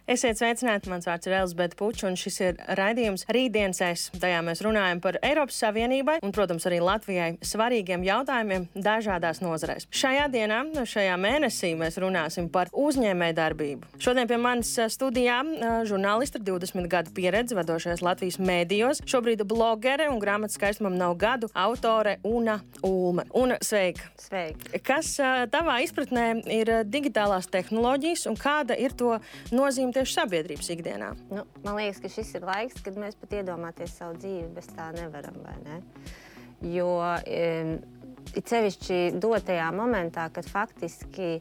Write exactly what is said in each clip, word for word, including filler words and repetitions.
Esiet sveicināti, mans vārds ir Elizabete Puča, un šis ir raidījums Rītdienas es. Tajā mēs runājam par Eiropas Savienībai un, protams, arī Latvijai svarīgiem jautājumiem dažādās nozarēs. Šajā dienā, šajā mēnesī mēs runāsim par uzņēmējdarbību. Šodien pie manis studijā žurnālisti ar divdesmit gadu pieredzi vadošajās Latvijas mēdījos, šobrīd blogere un grāmatas skaistumam nav gadu autore Una Ulme. Una, sveika! Sveika! Kas tavā izpratnē ir digitālās tehnoloģijas un kāda ir to nozīme tieši sabiedrības ikdienā? Nu, man liekas, ka šis ir laiks, kad mēs pat iedomāties savu dzīvi bez tā nevaram, vai ne? Jo e, it sevišķi dotajā momentā, kad faktiski,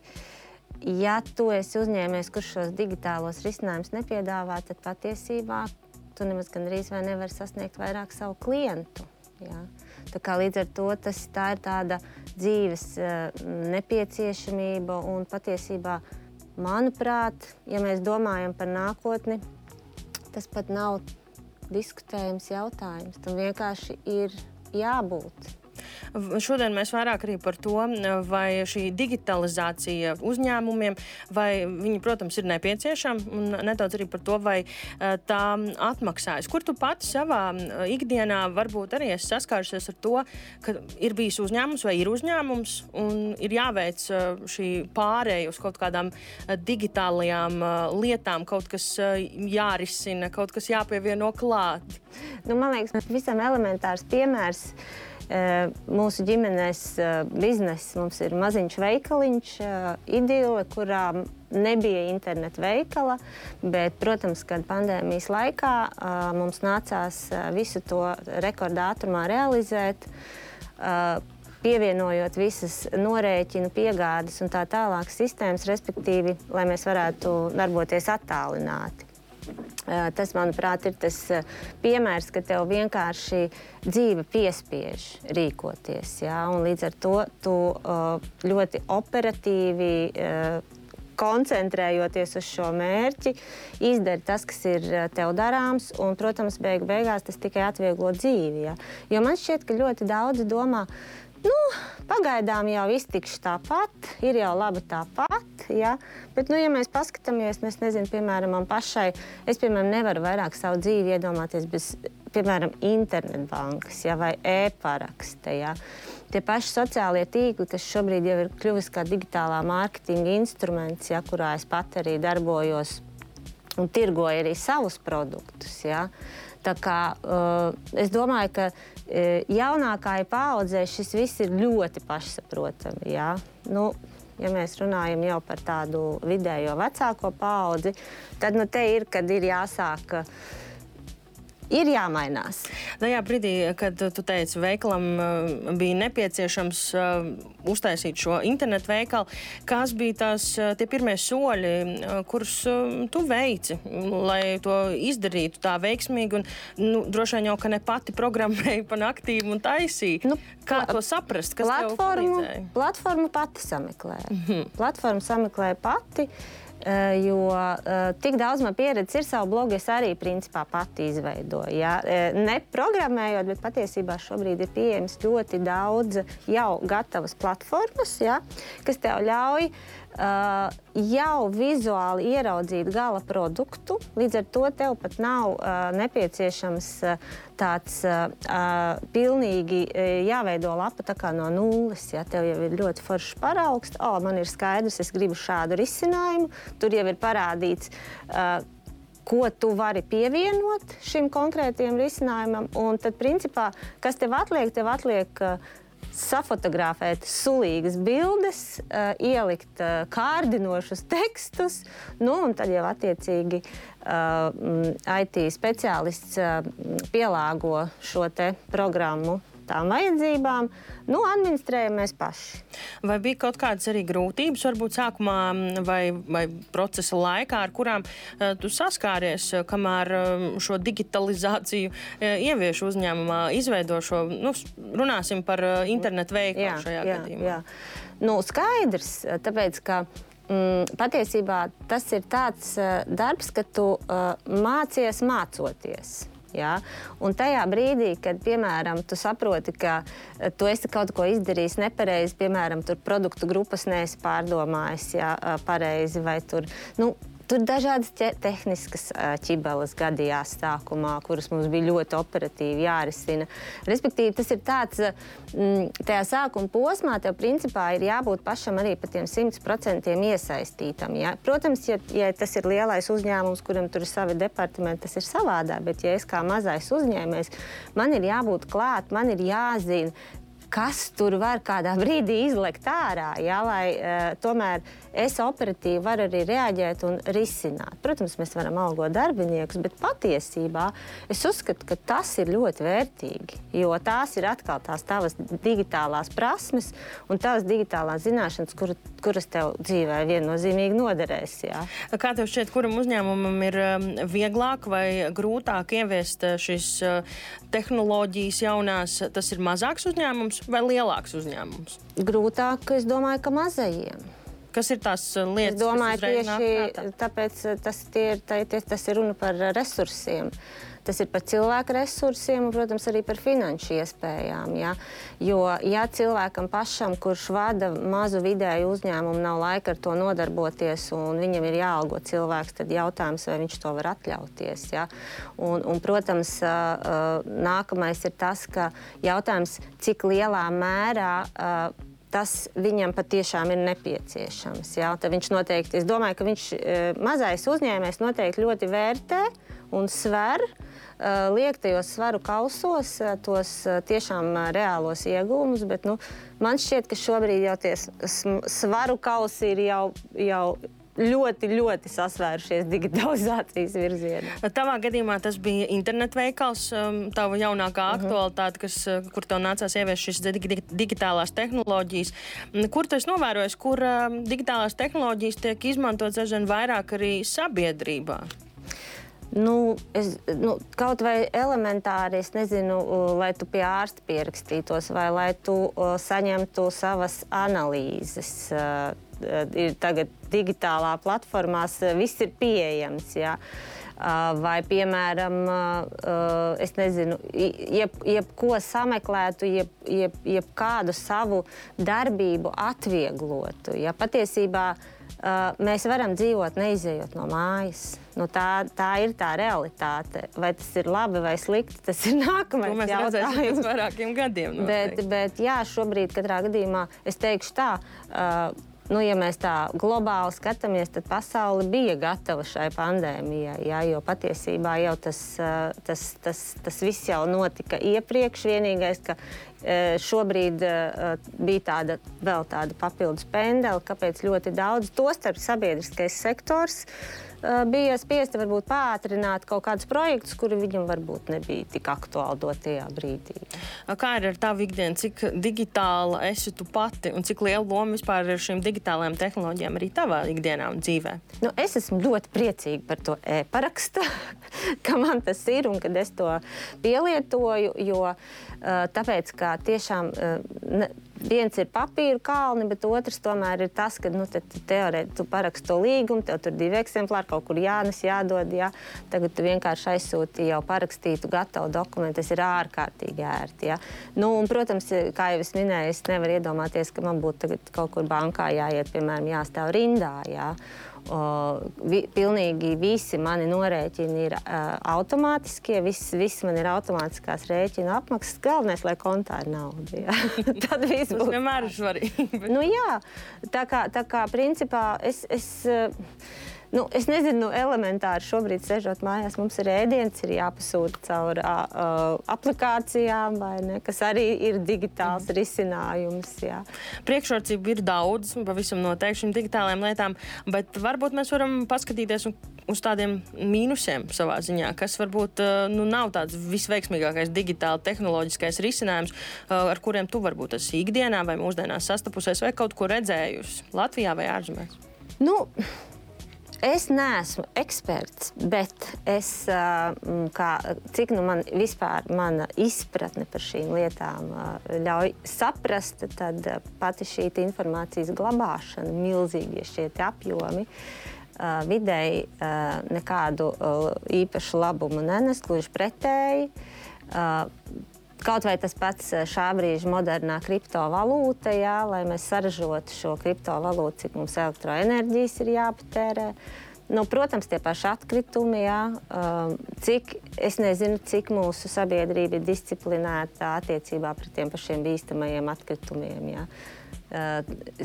ja tu esi uzņēmējs, kurš šos digitālos risinājumus nepiedāvā, tad patiesībā tu nemaz gandrīz vai nevar sasniegt vairāk savu klientu. Jā. Tā kā līdz ar to tas, tā ir tāda dzīves nepieciešamība un patiesībā, manuprāt, ja mēs domājam par nākotni, tas pat nav diskutējams jautājums. Tam vienkārši ir jābūt. Šodien mēs vairāk arī par to, vai šī digitalizācija uzņēmumiem, vai viņi, protams, ir nepieciešama, un nedaudz arī par to, vai tā atmaksājas. Kur tu pati savā ikdienā varbūt arī esi saskārusies ar to, ka ir bijis uzņēmums vai ir uzņēmums, un ir jāveic šī pārēja uz kaut kādām digitālajām lietām, kaut kas jārisina, kaut kas jāpievieno klāt? Nu, man liekas, visam elementārs piemērs. Mūsu ģimenes bizness, mums ir maziņš veikaliņš, Idile, kurā nebija interneta veikala, bet, protams, kad pandēmijas laikā mums nācās visu to rekordātrumā realizēt, pievienojot visas norēķinu, piegādes un tā tālāk sistēmas, respektīvi, lai mēs varētu darboties attālināti. Tas, manuprāt, ir tas piemērs, ka tev vienkārši dzīve piespiež rīkoties. Ja? Un līdz ar to tu ļoti operatīvi, koncentrējoties uz šo mērķi, izdari tas, kas ir tev darāms, un, protams, beigu beigās tas tikai atvieglo dzīvi. Ja? Jo man šķiet, ka ļoti daudzi domā, nu, pagaidām jau iztikšu tāpat, ir jau labi tāpat, ja? Bet, nu, ja mēs paskatāmies, es nezinu, piemēram, man pašai, es, piemēram, nevaru vairāk savu dzīvi iedomāties bez, piemēram, internetbankas, ja? Vai e-paraksta, ja? Tie paši sociālie tīkli, kas šobrīd jau ir kļuvis kā digitālā mārketinga instruments, ja? Kurā es pat arī darbojos un tirgoju arī savus produktus, ja? Tā kā uh, es domāju, ka uh, jaunākajai paaudzei šis viss ir ļoti pašsaprotami. Ja? Nu, ja mēs runājam jau par tādu vidējo vecāko paaudzi, tad nu, te ir, kad ir jāsāk, ir jāmainās. Tajā brīdī, kad tu teici, veikalam bija nepieciešams uztaisīt šo internetu veikalu, kas bija tās tie pirmie soļi, kurus tu veici, lai to izdarītu tā veiksmīgi un nu, droši vien jau, ka ne pati programmēji pa naktīm un taisīja. Nu, Kā to saprast? Kas tev palīdzēja? Platformu pati sameklēja. Mm-hmm. Platformu sameklēja pati. Jo uh, tik daudz man pieredzes ir savu blogu, es arī principā pati izveidoju. Ja? Ne programmējot, bet patiesībā šobrīd ir pieejams ļoti daudz jau gatavas platformas, ja? Kas tev ļauj uh, jau vizuāli ieraudzīt gala produktu. Līdz ar to tev pat nav uh, nepieciešams uh, tāds uh, uh, pilnīgi uh, jāveido lapa tā kā no nulles. Ja? Tev jau ir ļoti foršs paraugs. O, man ir skaidrs, es gribu šādu risinājumu. Tur jau ir parādīts, uh, ko tu vari pievienot šim konkrētajam risinājumam. Un tad, principā, kas tev atliek? Tev atliek uh, safotografēt sulīgas bildes, uh, ielikt uh, kārdinošus tekstus, nu, un tad jau attiecīgi uh, I T speciālists uh, pielāgo šo te programmu tām vajadzībām, nu, administrējam mēs paši. Vai bija kaut kādas arī grūtības, varbūt sākumā vai, vai procesa laikā, ar kurām uh, tu saskāries, kamēr uh, šo digitalizāciju uh, ievieš uzņēmumā, izveido šo, nu, runāsim par uh, internetu veikalu jā, šajā jā, gadījumā? Jā. Nu, skaidrs, tāpēc, ka mm, patiesībā tas ir tāds uh, darbs, ka tu uh, mācies mācoties. Ja? Un tajā brīdī, kad, piemēram, tu saproti, ka tu esi kaut ko izdarījis nepareizi, piemēram, tur produktu grupas neesi pārdomājis ja, pareizi, vai tur, nu, Tur dažādas te tehniskas ķibeles gadījās sākumā, kuras mums bija ļoti operatīvi jārisina. Respektīvi, tas ir tāds, tajā sākuma posmā tev principā ir jābūt pašam arī pa tiem simt procentiem iesaistītam. Ja? Protams, ja, ja tas ir lielais uzņēmums, kuram tur ir savi departamenti, tas ir savādāk, bet ja es kā mazais uzņēmējs, man ir jābūt klāt, man ir jāzina, kas tur var kādā brīdī izlekt ārā, ja, lai uh, tomēr es operatīvi varu arī reaģēt un risināt. Protams, mēs varam algot darbiniekus, bet patiesībā es uzskatu, ka tas ir ļoti vērtīgi, jo tās ir atkal tās tavas digitālās prasmes un tavas digitālās zināšanas, kur, kuras tev dzīvē viennozīmīgi noderēs. Ja. Kā tev šķiet, kuram uzņēmumam ir vieglāk vai grūtāk ieviest šīs tehnoloģijas jaunās? Tas ir mazāks uzņēmums vai lielāks uzņēmums? Grūtāk, es domāju, ka mazajiem. Kas ir tās lietas, es domāju, kas uzreiz nāk tieši tāpēc tas, tie ir, tā, tie, tas ir runa par resursiem. Tas ir par cilvēku resursiem un, protams, arī par finanšu iespējām. Ja? Jo, ja cilvēkam pašam, kurš vada mazu vidēju uzņēmumu, nav laika ar to nodarboties un viņam ir jāalgo cilvēks, tad jautājums, vai viņš to var atļauties. Ja? Un, un, protams, nākamais ir tas, ka jautājums, cik lielā mērā tas viņam patiešām ir nepieciešams. Ja? Tad viņš noteikti, es domāju, ka viņš mazais uzņēmējs noteikti ļoti vērtē un sver, liek tajos svaru kausos tos tiešām reālos iegūmus, bet nu, man šķiet, ka šobrīd jau tie svaru kausi ir jau, jau ļoti, ļoti sasvērušies digitalizācijas virzienā. Tavā gadījumā tas bija internetveikals, tava jaunākā aktualitāte, kas, kur tev nācās ieviest šīs digitālās tehnoloģijas. Kur tu esi novērojis, kur digitālās tehnoloģijas tiek izmantotas aizvien vairāk arī sabiedrībā? Nu, es, nu, kaut vai elementāri, es nezinu, lai tu pie ārsta pierakstītos vai lai tu uh, saņemtu savas analīzes. Uh, ir tagad digitālā platformās, uh, viss ir pieejams, jā. Uh, vai, piemēram, uh, es nezinu, jeb, jebko sameklētu, jeb, jeb, jeb kādu savu darbību atvieglotu. Ja patiesībā Uh, mēs varam dzīvot neizejot no mājas. Nu, tā, tā ir tā realitāte. Vai tas ir labi vai slikti, tas ir nākamais jautājums. To mēs redzēsim pēc vairākiem gadiem. Bet, bet jā, šobrīd katrā gadījumā es teikšu tā, uh, nu, ja mēs tā globāli skatāmies, tad pasaule bija gatava šai pandēmijai, jā, jo patiesībā jau tas, uh, tas, tas, tas viss jau notika iepriekš. Vienīgais, ka šobrīd uh, bija tāda, vēl tāda papildus pendele, kāpēc ļoti daudz, tostarp sabiedriskais sektors, uh, bija spiesti varbūt pātrināt kaut kādus projektus, kuri viņam varbūt nebija tik aktuāli dotajā brīdī. Kā ir ar tavu ikdienu? Cik digitāla esi tu pati un cik liela loma vispār ir šīm digitālajām tehnoloģijām arī tavā ikdienā un dzīvē? Nu, es esmu ļoti priecīga par to e-parakstu, ka man tas ir un kad es to pielietoju, jo uh, tāpēc, ka tiešām ne, viens ir papīru kalni, bet otrs tomēr ir tas, ka nu, teorētiski tu paraksti to līgumu, tev tur divi eksemplāri kaut kur jānes, jādod, jā. Tagad tu vienkārši aizsūti jau parakstītu gatavu dokumentu, tas ir ārkārtīgi ērti. Jā. Nu, un, protams, kā jau es minēju, es nevaru iedomāties, ka man būtu tagad kaut kur bankā jāiet, piemēram, jāstāv rindā, jā. O, vi, pilnīgi visi mani norēķini ir uh, automātiskie, viss, viss man ir automātiskās rēķina apmaksas. Galvenais, lai kontā ir nauda. Ja. Tad viss būs. Tas vienmēr ir svarīgi. Bet... Nu jā, tā kā, tā kā principā es... es uh, Nu, es nezinu, elementāri šobrīd sežot mājās, mums ir ēdiens, ir jāpasūta caur uh, aplikācijām, vai ne, kas arī ir digitāls mm. risinājums. Jā. Priekšrocība ir daudz, pavisam noteikti šīm digitālajām lietām, bet varbūt mēs varam paskatīties uz tādiem mīnusiem savā ziņā, kas varbūt uh, nu, nav tāds visveiksmīgākais digitāli tehnoloģiskais risinājums, uh, ar kuriem tu varbūt esi ikdienā vai mūsdienās sastapusies vai kaut ko redzējusi Latvijā vai ārzemēs? Nu... Es neesmu eksperts, bet es, kā, cik nu man vispār mana izpratne par šīm lietām ļauj saprast, tad pati šī informācijas glabāšana, milzīgie šie apjomi, vidēji nekādu īpašu labumu nenes, gluži pretēji. Kaut vai tas pats šā brīža modernā kriptovalūta, jā, lai mēs saražotu šo kriptovalūtu, cik mums elektroenerģijas ir jāpatērē. nu, protams, tie paši atkritumi, jā, uh, cik, es nezinu, cik mūsu sabiedrība ir disciplinēta attiecībā pret tiem pašiem bīstamajiem atkritumiem, jā. Uh,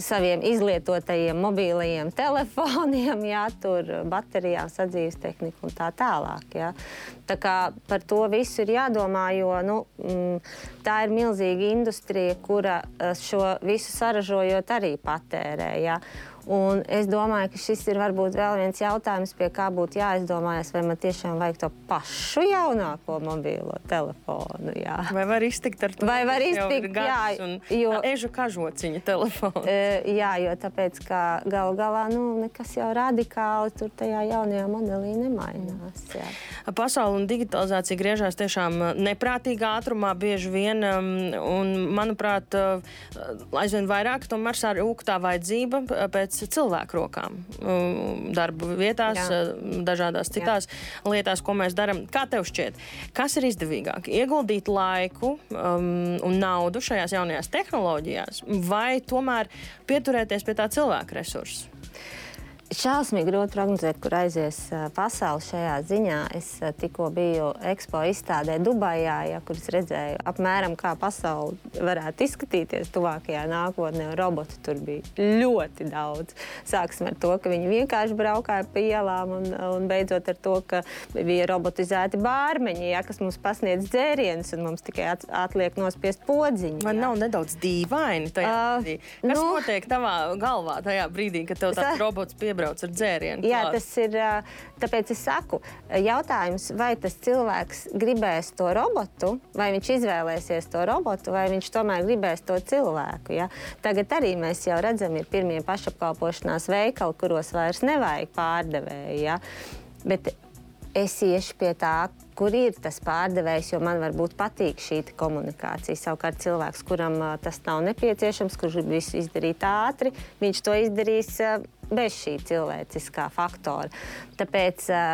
saviem izlietotajiem mobīlajiem telefoniem, jā, tur baterijām, sadzīves tehniku un tā tālāk. Jā. Tā kā par to visu ir jādomā, jo nu, mm, tā ir milzīga industrija, kura šo visu saražojot arī patērē. Jā. Un es domāju, ka šis ir varbūt vēl viens jautājums, pie kā būtu jāizdomājas, vai man tiešām vajag to pašu jaunāko mobīlo telefonu. Jā. Vai var iztikt ar to? Vai var iztikt, jā, jo... Ežu kažociņa telefonu. E, jā, jo tāpēc, ka galu galā, nu, nekas jau radikāli tur tajā jaunajā modelī nemainās. Jā. Pasaule un digitalizācija griežās tiešām neprātīgā ātrumā bieži vien, un, manuprāt, aizvien vairāk tomēr sarūk tā vajadzība pēc cilvēku rokām, darba vietās, jā. Dažādās citās jā. Lietās, ko mēs darām. Kā tev šķiet, kas ir izdevīgāk? Ieguldīt laiku um, un naudu šajās jaunajās tehnoloģijās vai tomēr pieturēties pie tā cilvēka resursa? Šausmīgi grūti prognozēt, kur aizies pasaule šajā ziņā. Es tikko biju Expo izstādē Dubajā, ja, kur es redzēju apmēram, kā pasaule varētu izskatīties tuvākajā nākotnē. Robotu tur bija ļoti daudz. Sāksim ar to, ka viņi vienkārši braukāja pa ielām un, un beidzot ar to, ka bija robotizēti bārmeņi, ja, kas mums pasniedz dzērienus un mums tikai at, atliek nospiest podziņu. Vai nav nedaudz dīvaini tajā uh, brīdī? Kas nu, notiek tavā galvā tajā brīdī, kad tev tāds robots piebrauc ar dzērienu? Jā, tas ir, tāpēc es saku, jautājums, vai tas cilvēks gribēs to robotu, vai viņš izvēlēsies to robotu, vai viņš tomēr gribēs to cilvēku. Ja? Tagad arī mēs jau redzam, ir pirmie pašapkalpošanās veikali, kuros vairs nevajag pārdevēju. Ja? Bet es iešu pie tā, kur ir tas pārdevējs, jo man varbūt patīk šī komunikācija. Savukārt cilvēks, kuram uh, tas nav nepieciešams, kurš grib visu izdarīt ātri, viņš to izdarīs uh, bez šī cilvēciskā faktora. Tāpēc uh,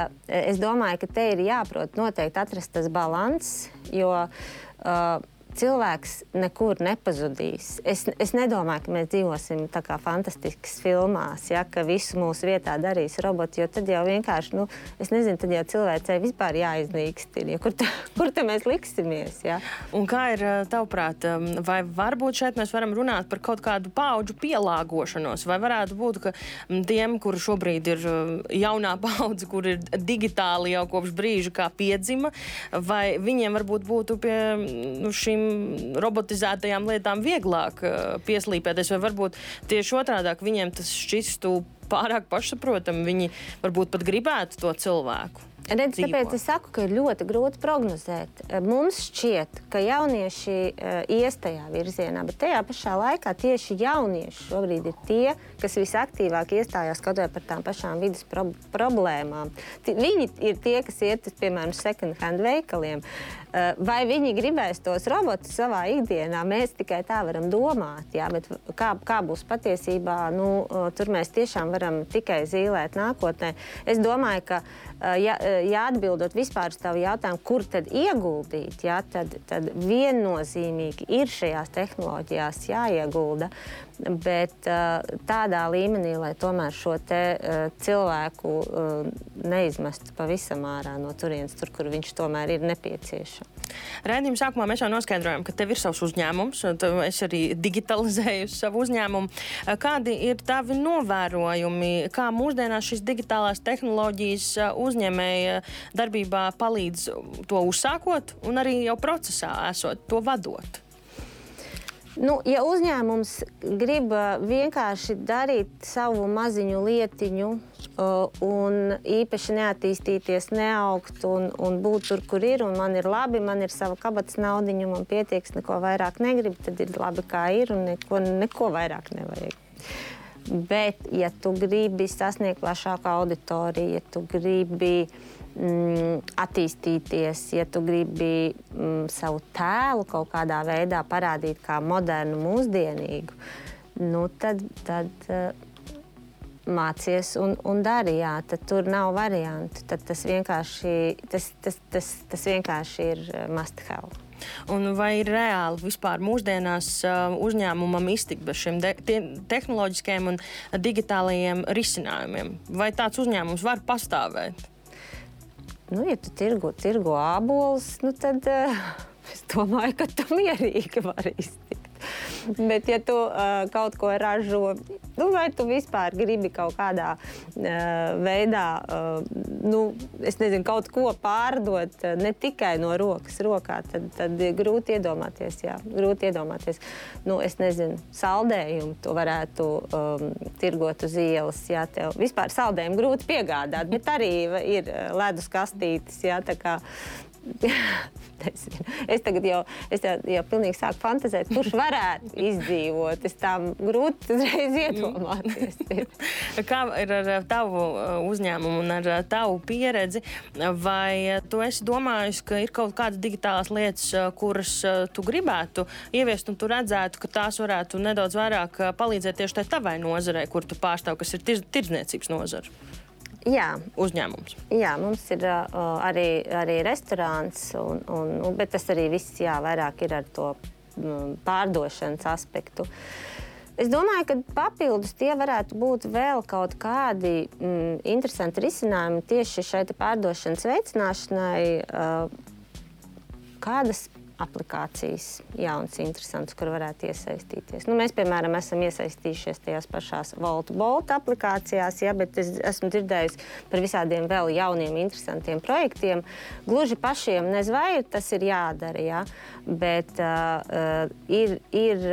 es domāju, ka te ir jāprot noteikti atrast tas balanss, jo uh, cilvēks nekur nepazudīs. Es, es nedomāju, ka mēs dzīvosim tā kā fantastiskas filmās, ja, ka visu mūsu vietā darīs roboti, jo tad jau vienkārši, nu, es nezinu, tad jau cilvēcei vispār jāiznīkst, ja, kur, ta, kur te mēs liksimies. Ja. Un kā ir tavuprāt, vai varbūt šeit mēs varam runāt par kaut kādu paudžu pielāgošanos, vai varētu būt, ka tiem, kuri šobrīd ir jaunā paudze, kur ir digitāli jau kopš brīža kā piedzima, vai viņiem varbūt būtu pie nu, šīm robotizētajām lietām vieglāk uh, pieslīpēties, vai varbūt tieši otrādāk viņiem tas šķistu pārāk pašsaprotami, viņi varbūt pat gribētu to cilvēku. Redz, tāpēc es saku, ka ir ļoti grūti prognozēt. Mums šķiet, ka jaunieši uh, ies tajā virzienā, bet tajā pašā laikā tieši jaunieši šobrīd ir tie, kas visaktīvāk iestājās kaut vai par tām pašām vidas pro problēmām. T viņi ir tie, kas iet, piemēram, second hand veikaliem. Uh, vai viņi gribēs tos robotus savā ikdienā, mēs tikai tā varam domāt, jā, bet kā, kā būs patiesībā, nu, uh, tur mēs tiešām varam tikai zīlēt nākotnē. Es domāju, ka uh, ja, ja atbildot vispār uz tavu jautājumu, kur tad ieguldīt, jā, tad, tad viennozīmīgi ir šajās tehnoloģijās jāiegulda, bet uh, tādā līmenī, lai tomēr šo te uh, cilvēku uh, neizmestu pavisam ārā no turienes, tur, kur viņš tomēr ir nepieciešams. Raidījuma sākumā mēs jau noskaidrojām, ka tev ir savs uzņēmums, un es arī digitalizēju savu uzņēmumu. Kādi ir tavi novērojumi, kā mūsdienās šīs digitālās tehnoloģijas uzņēmēja darbībā palīdz to uzsākot un arī jau procesā esot to vadot? Nu, ja uzņēmums grib vienkārši darīt savu maziņu lietiņu uh, un īpaši neattīstīties, neaugt un, un būt tur, kur ir, un man ir labi, man ir sava kabatas naudiņa, man pietieks, neko vairāk negrib, tad ir labi, kā ir, un neko, neko vairāk nevajag. Bet, ja tu gribi sasniegt plašāku auditoriju, ja tu gribi Mm, attīstīties, ja tu gribi mm, savu tēlu kaut kādā veidā parādīt kā modernu, mūsdienīgu, nu tad, tad uh, mācies un, un dari, jā, tad tur nav variantu. Tad tas vienkārši, tas, tas, tas, tas vienkārši ir must have. Un vai ir reāli vispār mūsdienās uh, uzņēmumam iztikt bez šiem de- te- tehnoloģiskiem un digitālajiem risinājumiem? Vai tāds uzņēmums var pastāvēt? Nu, ja tu tirgo, tirgo ābolus, nu tad uh, es domāju, ka tu mierīgi vari iztikt. Bet, ja tu uh, kaut ko ražo, nu, vai tu vispār gribi kaut kādā uh, veidā, uh, nu, es nezinu, kaut ko pārdot uh, ne tikai no rokas rokā, tad, tad grūti iedomāties, jā, grūti iedomāties. Nu, es nezinu, saldējumu tu varētu um, tirgot uz ielas, jā, tev vispār saldējumu grūti piegādāt, bet arī ir ledus kastītes, jā, tā kā es tagad jau, es jau, jau pilnīgi sāku fantazēt, kurš varētu izdzīvot. Es tam grūti uzreiz iedomāties. Kā ir ar tavu uzņēmumu un ar tavu pieredzi? Vai tu esi domājis, ka ir kaut kādas digitālās lietas, kuras tu gribētu ieviest, un tu redzētu, ka tās varētu nedaudz vairāk palīdzēt tieši tai tavai nozarei, kur tu pārstāv, kas ir tirz, tirdzniecības nozara? Jā. Uzņēmums. Jā, mums ir uh, arī, arī restorāns, un, un, un, bet tas arī viss jā, vairāk ir ar to um, pārdošanas aspektu. Es domāju, ka papildus tie varētu būt vēl kaut kādi mm, interesanti risinājumi tieši šai pārdošanas veicināšanai, uh, kādas aplikācijas jaunas, interesantas, kur varētu iesaistīties. Nu, mēs, piemēram, esam iesaistījušies tajās pašās Volt Bolt aplikācijās, ja, bet es esmu dzirdējusi par visādiem vēl jauniem, interesantiem projektiem. Gluži pašiem nezinu, vai tas ir jādara, ja, bet uh, ir, ir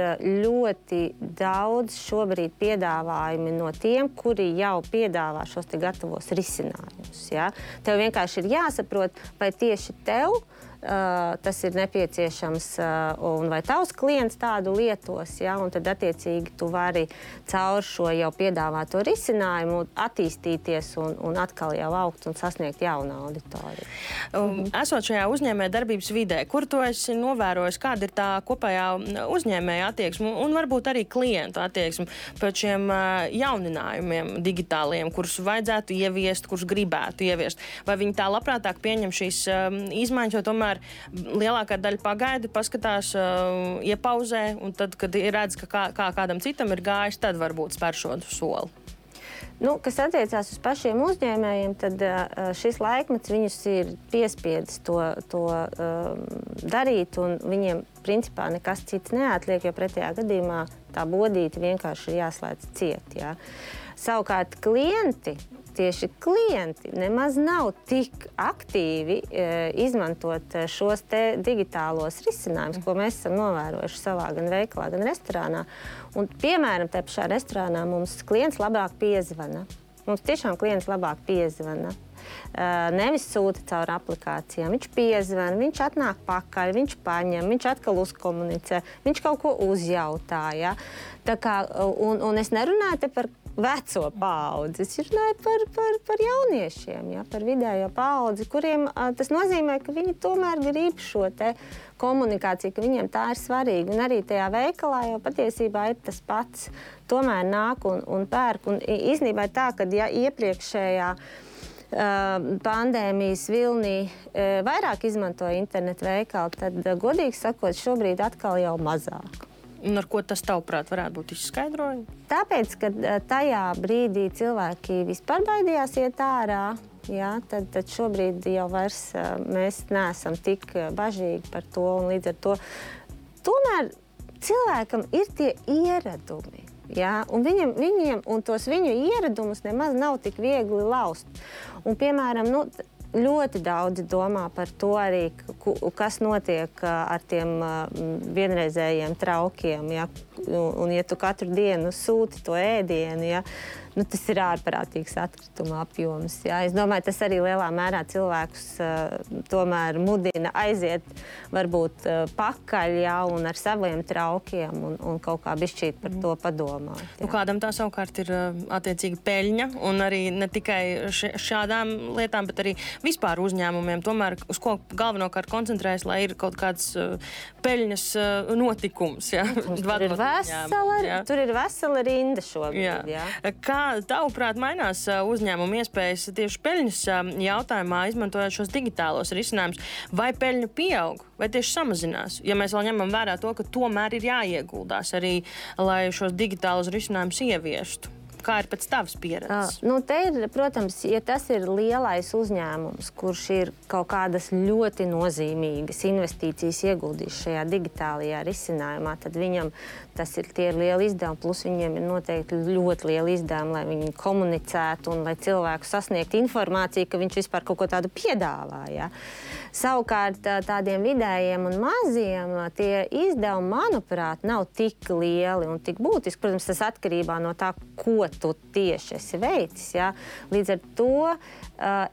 ļoti daudz šobrīd piedāvājumi no tiem, kuri jau piedāvā šos te gatavos risinājumus. Ja. Tev vienkārši ir jāsaprot, vai tieši tev Uh, tas ir nepieciešams, uh, un vai tavs klients tādu lietos, ja, un tad attiecīgi tu vari caur šo jau piedāvāto risinājumu attīstīties un, un atkal jau augt un sasniegt jaunu auditoriju. Um, esot šajā uzņēmē darbības vidē, kur tu esi novērojis, kāda ir tā kopējā uzņēmēja attieksme un varbūt arī klientu attieksme pēc šiem uh, jauninājumiem digitāliem, kurus vajadzētu ieviest, kurus gribētu ieviest? Vai viņi tā labprātāk pieņem šīs um, izmaiņas, jo tomēr lielākā daļa pagaida, paskatās, uh, iepauzē, un tad, kad redz, ka kā, kā kādam citam ir gājis, tad varbūt spēr šo soli. Nu, kas attiecās uz pašiem uzņēmējiem, tad uh, šis laikmets viņus ir piespiedis to, to uh, darīt, un viņiem principā nekas cits neatliek, jo pretējā gadījumā tā bodīte vienkārši ir jāslēdz ciet. Jā. Savukārt klienti, tieši klienti nemaz nav tik aktīvi e, izmantot šos te digitālos risinājumus, ko mēs esam novērojuši savā gan veikalā, gan restorānā. Un, piemēram, te pašā restorānā mums klients labāk piezvana. Mums tiešām klients labāk piezvana. Uh, nevis sūta caur aplikācijām. Viņš piezvana, viņš atnāk pakaļ, viņš paņem, viņš atkal uzkomunicē, viņš kaut ko uzjautā. Ja? Tā kā, un, un es nerunāju te par veco paudzi, es runāju par, par, par jauniešiem, ja? Par vidējo paudzi, kuriem uh, tas nozīmē, ka viņi tomēr grib šo te komunikāciju, ka viņiem tā ir svarīga. Un arī tajā veikalā jau patiesībā ir tas pats. Tomēr nāk un, un pērk. Un īstenībā ir tā, ka ja iepriekšējā Uh, pandēmijas vilnī uh, vairāk izmantoja internetu veikalu, tad, uh, godīgi sakot, šobrīd atkal jau mazāk. Un ar ko tas, tavuprāt, varētu būt izskaidrojumi? Tāpēc, ka uh, tajā brīdī cilvēki vispār baidījās iet ārā, jā, tad, tad šobrīd jau vairs uh, mēs neesam tik bažīgi par to, un līdz ar to tomēr cilvēkam ir tie ieradumi. Ja? Un viņam, viņiem, un tos viņu ieradumus nemaz nav tik viegli laust. Un, piemēram, nu, ļoti daudzi domā par to arī, kas notiek ar tiem vienreizējiem traukiem. Ja? Un, ja tu katru dienu sūti to ēdienu, ja? Nu, tas ir ārprātīgs atkrituma apjoms. Ja? Es domāju, tas arī lielā mērā cilvēkus uh, tomēr mudina aiziet varbūt uh, pakaļ, ja? Un ar saviem traukiem un, un kaut kā bišķīt par to padomāt. Ja? Nu, kādam tā savukārt ir uh, attiecīgi peļņa, un arī ne tikai š šādām lietām, bet arī vispār uzņēmumiem, tomēr uz ko galvenokārt koncentrējas, lai ir kaut kāds uh, peļņas uh, notikums. Ja? Tur, ir vesela, ja? Tur ir vesela rinda šobrīd. Jā. Ja? Kā kā tavuprāt mainās uzņēmuma iespējas tieši peļņas jautājumā, izmantojot šos digitālos risinājumus? Vai peļņa pieaug, vai tieši samazinās? Ja mēs vēl ņemam vērā to, ka tomēr ir jāieguldās arī, lai šos digitālos risinājumus ieviestu. Kā ir pēc tavas pieredzes? Uh, nu, te ir, protams, ja tas ir lielais uzņēmums, kurš ir kaut kādas ļoti nozīmīgas investīcijas ieguldījis šajā digitālajā risinājumā, tad viņam tas ir tie lieli izdevumi, plus viņiem ir noteikti ļoti lieli izdevumi, lai viņi komunicētu un lai cilvēku sasniegtu informāciju, ka viņš vispār kaut ko tādu piedāvā. Ja? Savukārt tādiem vidējiem un maziem tie izdevumi, manuprāt, nav tik lieli un tik būtiski. Protams, tas atkarībā no tā, ko tu tieši esi veicis. Ja? Līdz ar to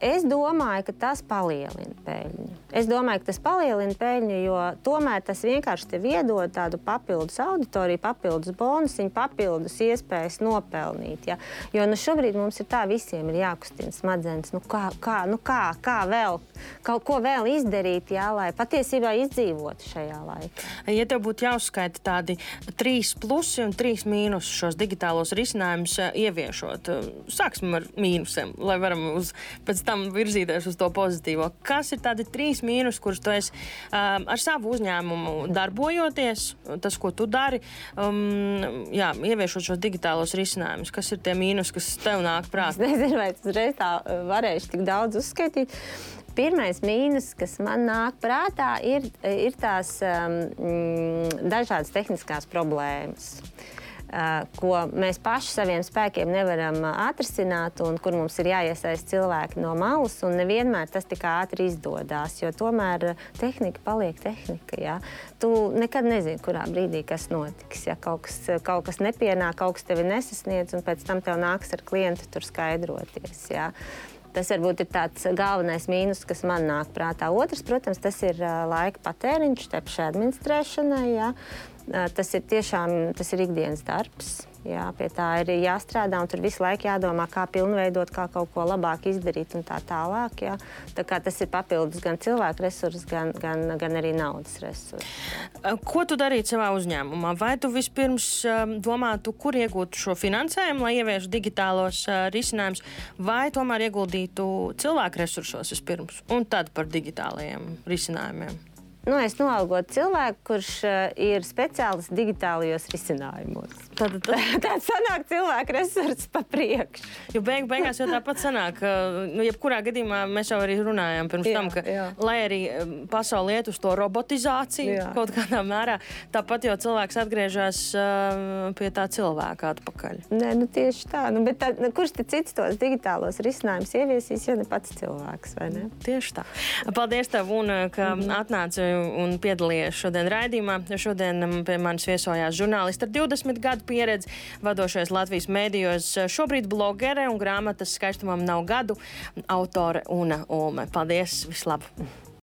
es domāju, ka tas palielina peļņu. Es domāju, ka tas palielina peļņu, jo tomēr tas vienkārši tev iedod tādu papildus auditoriju, papildus bonusiņu, papildus iespējas nopelnīt. Ja? Jo nu, šobrīd mums ir tā, visiem ir jākustina smadzenes. Nu, kā, kā, nu, kā, kā vēl, kaut ko vēl izdarīt, ja, lai patiesībā izdzīvotu šajā laikā. Ja tev būtu jāuzskaita tādi trīs plusi un trīs mīnusi šos digitālos risinājumus ieviešot, sāksim ar mīnusiem, lai varam uz, pēc tam virzīties uz to pozitīvo. Kas ir tādi trīs mīnusi, kurus tu esi um, ar savu uzņēmumu darbojoties, tas, ko tu dari, um, jā, ieviešot šos digitālos risinājumus? Kas ir tie mīnusi, kas tev nāk prātā? Es nezinu, vai tas reiz tā varēšu tik daudz uzskaitīt. Pirmais mīnus, kas man nāk prātā, ir, ir tās um, dažādas tehniskās problēmas, uh, ko mēs paši saviem spēkiem nevaram atrisināt un kur mums ir jāiesaist cilvēki no malas, un nevienmēr tas tik ātri izdodās, jo tomēr tehnika paliek tehnika. Ja? Tu nekad nezini, kurā brīdī kas notiks. Ja? Kaut kas, kaut kas nepienāk, kaut kas tevi nesasniedz, un pēc tam tev nāks ar klientu tur skaidroties. Ja? Tas varbūt ir tāds galvenais mīnus, kas man nāk prātā. Otrs, protams, tas ir laika patēriņš, te pašai administrēšanai. Jā. Tas ir tiešām, tas ir ikdienas darbs. Jā, pie tā ir jāstrādā, un tur visu laiku jādomā, kā pilnveidot, kā kaut ko labāk izdarīt un tā tālāk. Jā. Tā kā tas ir papildus gan cilvēku resursi, gan, gan, gan arī naudas resursi. Ko tu darītu savā uzņēmumā? Vai tu vispirms domātu, kur iegūt šo finansējumu, lai ieviešu digitālos risinājumus, vai tomēr ieguldītu cilvēku resursos vispirms un tad par digitālajiem risinājumiem? Nu, es noalgotu cilvēku, kurš uh, ir speciālists digitālajos risinājumos. Tad, tad... Tāds sanāk cilvēku resursus pa priekšu. Jo beig, beigās jau tāpat sanāk, ka, nu, jebkurā gadījumā mēs jau arī runājām pirms jā, tam, ka, jā. lai arī pasauli iet uz to robotizāciju jā. kaut kādā mērā, tāpat jau cilvēks atgriežas uh, pie tā cilvēka atpakaļ. Nē, nu tieši tā. Nu, bet tā, nu, kurš te cits tos digitālos risinājumus ieviesīs, ja ne pats cilvēks, vai ne? Tieši tā. Paldies tev, un ka mm-hmm. atnāci un piedalījies šodien raidījumā. Šodien pie manis viesojās žurnālisti ar divdesmit gadu pieredzi, vadošais Latvijas mēdījos, šobrīd blogere un grāmatas Skaistumam nav gadu autore Una Ulme. Paldies, vislabāk!